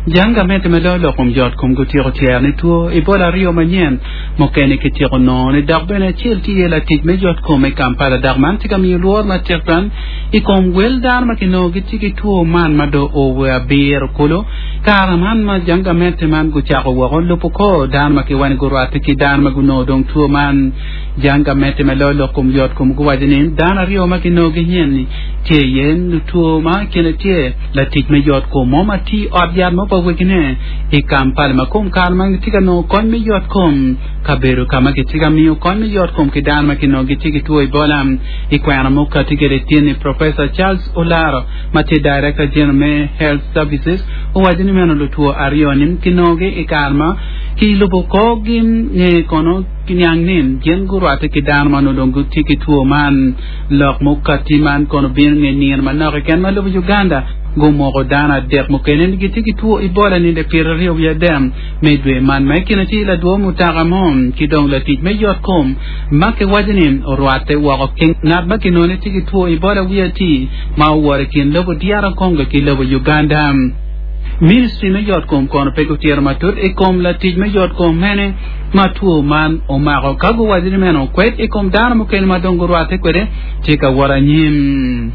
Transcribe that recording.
Jang gamente ma loyo lok kom yot kom gutyeko tyero ni two Ebola aryo manyen mukene kityeko nongo-ni dok bene acel tye iye latic me yot kom i Kampala dok man tye ka miyo lworo matek twal i kom wel dano ma kinongo gitye ki two man ma dong oo wa abiro kulu. Kare man ma jang gamente man gucako woko lubo kor dano ma kiwaco ni gurwatte ki dano ma gunongo dong two man. Jang gamente ma loyo lok kom yot kom guwaco ni dano aryo ma kinongo ginyen-ni tye iye lutwo ma i kine tye latic me yot kom mo ma tiyo i ot yat mo pa wegine i Kampala ma kom kare ma gitye ka nongo kony me yot kom kabedo ka ma kitye ka miyo kony me yot kom ki dano ma kinongo gitye ki two Ebola i kwena mukati kwede tin-ni Professor Charles Olaro ma tye Director General me Health Services owaco ni meno lutwo aryo-ni kinongogi i kare ma kilubo korgi nge kono kiniang ni gin gurwatte ki dano ma onongo dong gitye ki two man. Lok mukati man kono bino nge nino manok keken ma lobo Uganda gumoko dano adek mukene ni gitye ki two Ebola ninde pyeraryo wiye adek me dwe man ma i kine tye ladwo mutoka mo ki dong latic me yot kom ma kiwaco ni orwatte woko ki ngat ma kinongo ni tye ki two Ebola wiye ati ma oworo i kin lobo DR Congo ki lobo Uganda. Ministry me yot kom kono pe gutito matut i kom latic me yot kom mene ma two man omako ka guwaco ni meno kwed i kom dano mukene ma dong gurwatte kwede tye ka wot anyim.